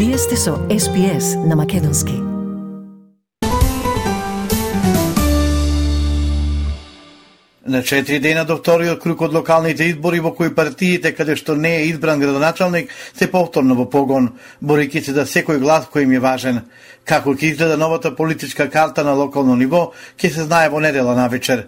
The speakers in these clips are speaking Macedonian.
Вие сте со SPS на Македонски. На 4 дена до вториот круг од локалните избори во кои партиите каде што не е избран градоначалник се повторно во погон, борејќи се за секој глас кој им е важен. Како ќе изгледа новата политичка карта на локално ниво, ќе се знае во недела навечер.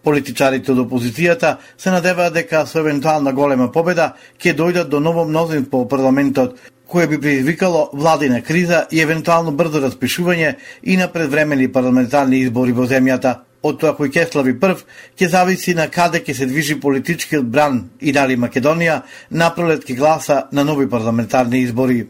Политичарите од опозицијата се надеваат дека со евентуална голема победа ќе дојдат до ново мнозинство во парламентот, кое би предизвикало владина криза и евентуално брзо распишување и на предвремени парламентарни избори во земјата. Од тоа кој ќе слави прв, ќе зависи на каде ќе се движи политичкиот бран и дали Македонија напролет ќе гласа на нови парламентарни избори.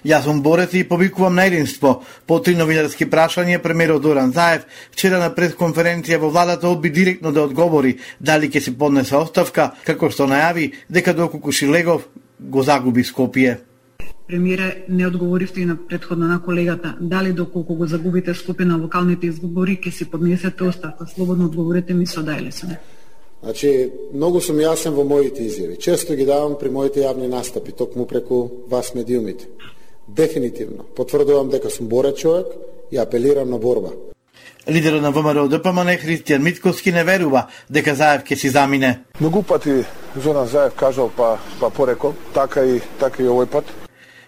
Јас сум борец и повикувам на единство. По 3 новинарски прашања, премиерот Зоран Заев вчера на пресконференција во владата одби директно да одговори дали ќе се поднесе оставка, како што најави дека доколку Шилегов го загуби Скопје. Премиере, не одговоривте и на претходно на колегата. Дали доколку го загубите Скопје на локалните избори, ќе си поднесете оставка? Слободно одговорете ми со да или со не. Значи, многу сум јасен во моите изјави. Често ги давам при моите јавни настапи, токму преку вас медиумите. Дефинитивно потврдувам дека сум борец човек и апелирам на борба. Лидерот на ВМРО ДПМН Христијан Митковски не верува дека Заев ќе си замине. Многу пати Зоран Заев кажал па порекол, така и овој пат.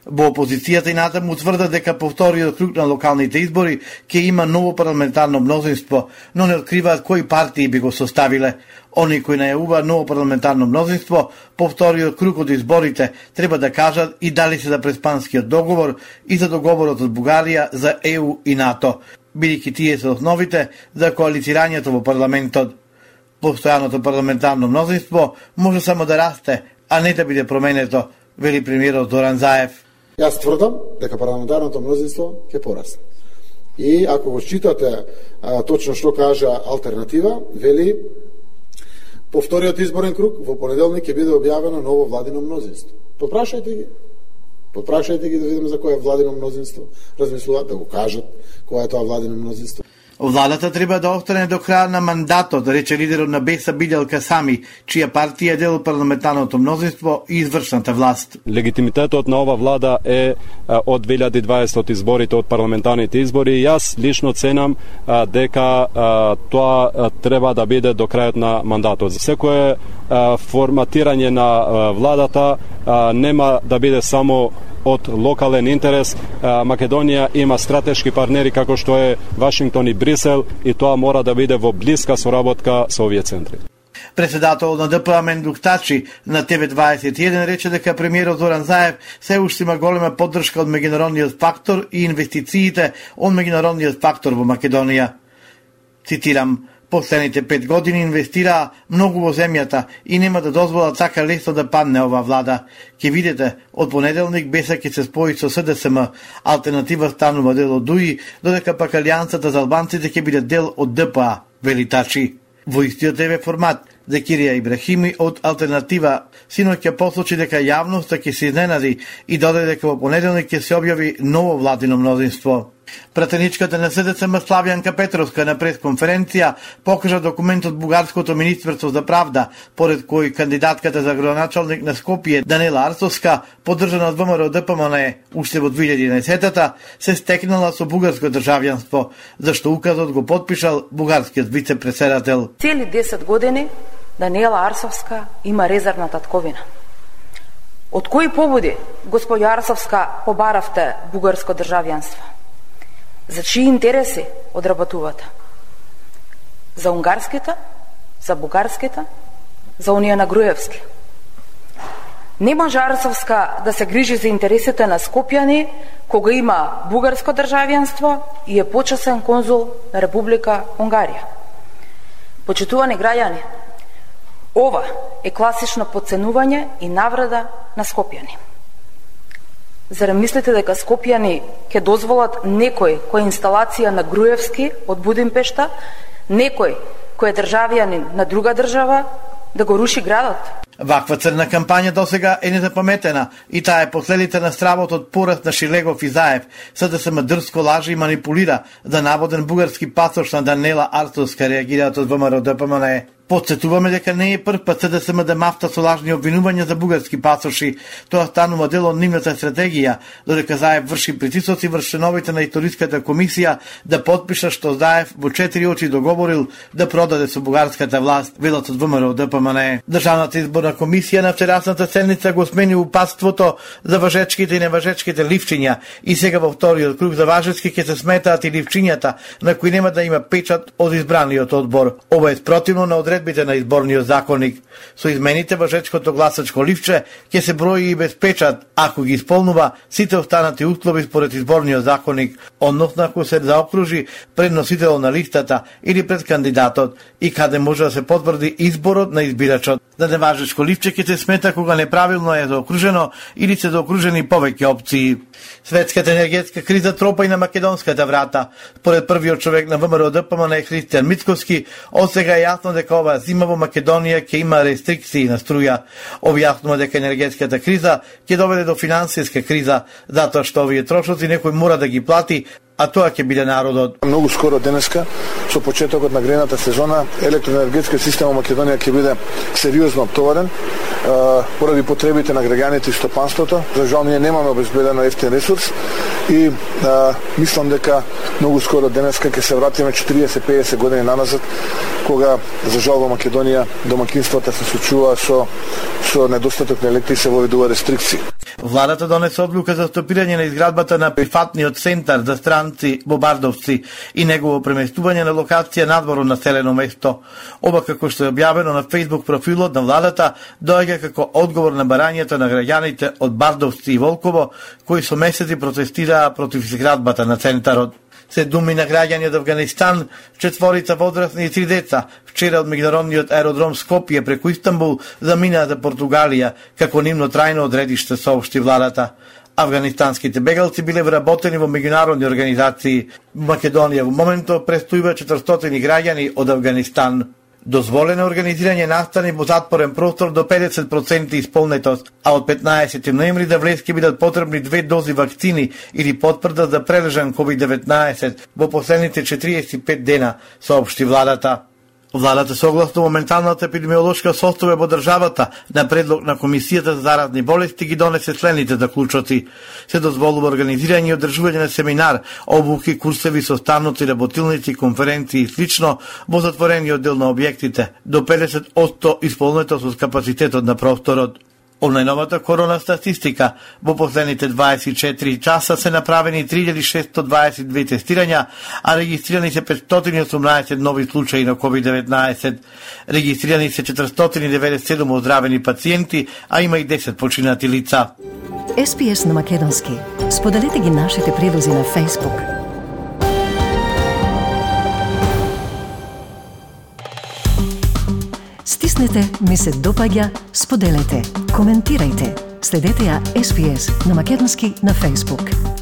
Во опозицијата и натаму тврдат дека по вториот круг на локалните избори ќе има ново парламентарно мнозинство, но не откриваат кои партии би го составиле. Они кои најавуваат ново парламентарно мнозинство по вториот круг од изборите треба да кажат и дали се за преспанскиот договор и за договорот од Бугарија за ЕУ и НАТО, бидејќи тие се основите за коалицирањето во парламентот. Постојаното парламентарно мнозинство може само да расте, а не да биде променето, вели премиерот Зоран Заев. Јас тврдам дека парламентарното мнозинство ќе порасне. И ако го читате точно што кажа алтернатива, вели по вториот изборен круг во понеделник ќе биде објавено ново владино мнозинство. Потпрашајте ги да видиме за кое владино мнозинство размислуваат, да го кажат кое е тоа владино мнозинство. Владата треба да остане до крај на мандатот, рече лидерот на БЕСА Билјал Касами, чија партија е дел од парламентарното мнозинство и извршната власт. Легитимитетот на ова влада е од 2020 од изборите, од парламентарните избори. Јас лично ценам дека тоа треба да биде до крајот на мандатот. Секое форматирање на владата нема да биде само од локален интерес. Македонија има стратешки партнери како што е Вашингтон и Брисел и тоа мора да биде во блиска соработка со овие центри. Председател на ДПМ Мендук Тачи на ТВ21 рече дека премиерот Зоран Заев се уште има голема поддршка од меѓународниот фактор и инвестициите од меѓународниот фактор во Македонија. Цитирам: последните 5 години инвестираа многу во земјата и нема да дозволат така лесно да падне ова влада. Ќе видите, од понеделник БЕСА ќе се спои со СДСМ, алтернатива станува дел од ДУИ, додека пак Алијансата за албанците ќе биде дел од ДПА, вели Тачи. Во истиот ТВ формат, Закирија Ибрахими од Алтернатива синоќ ќе посочи дека јавноста ќе се изненади и додаде дека во понеделник ќе се објави ново владино мнозинство. Пратеничката на СДСМ Славјанка Петровска на пресконференција покажа документ од Бугарското министерство за правда, поред кој кандидатката за градоначалник на Скопје Данела Арсовска, поддржана од ВМРО ДПМН уште во 2011-та, се стекнала со бугарско државјанство, зашто указот го потпишал бугарскиот вице-председател. Цели 10 години Данела Арсовска има резервна татковина. Од кои поводи, господја Арсовска, побаравте бугарско државјанство? За чии интереси одработувате? За унгарските, за бугарските, за оние на Груевски. Не може Арсовска да се грижи за интересите на скопјани кога има бугарско државјанство и е почесен конзул на Република Унгарија. Почитувани граѓани, ова е класично подценување и навреда на скопјани. Зарем мислите дека скопјани ќе дозволат некој кој е инсталација на Груевски од Будимпешта, некој кој е државјанин на друга држава, да го руши градот? Ваква црна кампања досега е незапаметена и таа е последица на стравот од пораст на Шилегов и Заев, СДСМ дрско лажи и манипулира за наводен бугарски пасош на Данела Арсовска, реагираат од ВМРО ДПМН. Подсетуваме дека не е прв пат СДСМ да мафта со лажни обвинувања за бугарски пасоши. Тоа станува дел од нивната стратегија, додека Заев врши притисоци врз членовите на историската комисија да потпишат што Заев во 4 очи договорил да продаде со бугарската власт, велат од ВМРО ДПМН. Државната изборна комисија на вчерасната седница го смени упатството за важечките и неважечките ливчиња и сега во вториот круг за важечки ќе се сметаат и ливчињата на кои нема да има печат од избраниот одбор. Ова е спротивно на одредбите на изборниот законник. Со измените важечкото гласачко ливче ќе се брои и без печат, ако ги исполнува сите останати услови според изборниот законник, односно ако се заокружи пред носител на листата или пред кандидатот и каде може да се потврди изборот на избирачот. За неважечко ливче ќе се смета кога неправилно е заокружено или се заокружени повеќе опции. Светската енергетска криза тропа и на македонската врата. Според првиот човек на ВМРО ДПМН Христијан Мицковски, од сега е јасно дека оваа зима во Македонија ќе има рестрикции на струја. Објаснува дека енергетската криза ќе доведе до финансиска криза, затоа што овие трошоци некој мора да ги плати, а тоа ќе биде народот. Многу скоро денеска, со почетокот на грејната сезона, електроенергетскиот систем во Македонија ќе биде сериозно оптоварен поради потребите на граѓаните и стопанството. За жал ние немаме обезбедено ефтин ресурс и мислам дека многу скоро денеска ќе се вратиме 40-50 години наназад, кога за жал во Македонија домакинствата се случува со недостаток на електри и се воведува рестрикции. Владата донесе одлука за стопирање на изградбата на прифатниот центар за странци во Бардовци и негово преместување на локација надвор од населено место. Ова, како што е објавено на Facebook профилот на владата, доаѓа како одговор на барањето на граѓаните од Бардовци и Волково, кои со месеци протестираа против изградбата на центарот. Се думи на граѓани од Авганистан, 4 возрастни и 3 деца, вчера од меѓународниот аеродром Скопје преку Истанбул заминаа за Португалија, како нивно трајно одредиште, соопшти владата. Афганистанските бегалци биле вработени во меѓународни организации. В Македонија во моментот престојува 400 граѓани од Авганистан. Дозволено организирање настани во затворен простор до 50% исполнетост, а од 15 ноември да влез ќе бидат потребни 2 дози вакцини или потврда за прележан COVID-19 во последните 45 дена, соопшти владата. Владата согласно моменталната епидемиолошка состојба во државата на предлог на Комисијата за заразни болести ги донесе следните заклучоци. Се дозволува организирање и одржување на семинар, обуки, курсеви, составници, работилници, конференции и слично во затворениот дел на објектите до 50% исполнетост од капацитетот на просторот. Од најновата корона статистика, во последните 24 часа се направени 3622 тестирања, а регистрирани се 518 нови случаи на COVID-19. Регистрирани се 497 оздравени пациенти, а има и 10 починати лица. SPS на македонски. Споделете ги нашите прилози на Facebook. Стиснете, ми се допаѓа, споделете, коментирајте. Следете ја SPS на македонски на Facebook.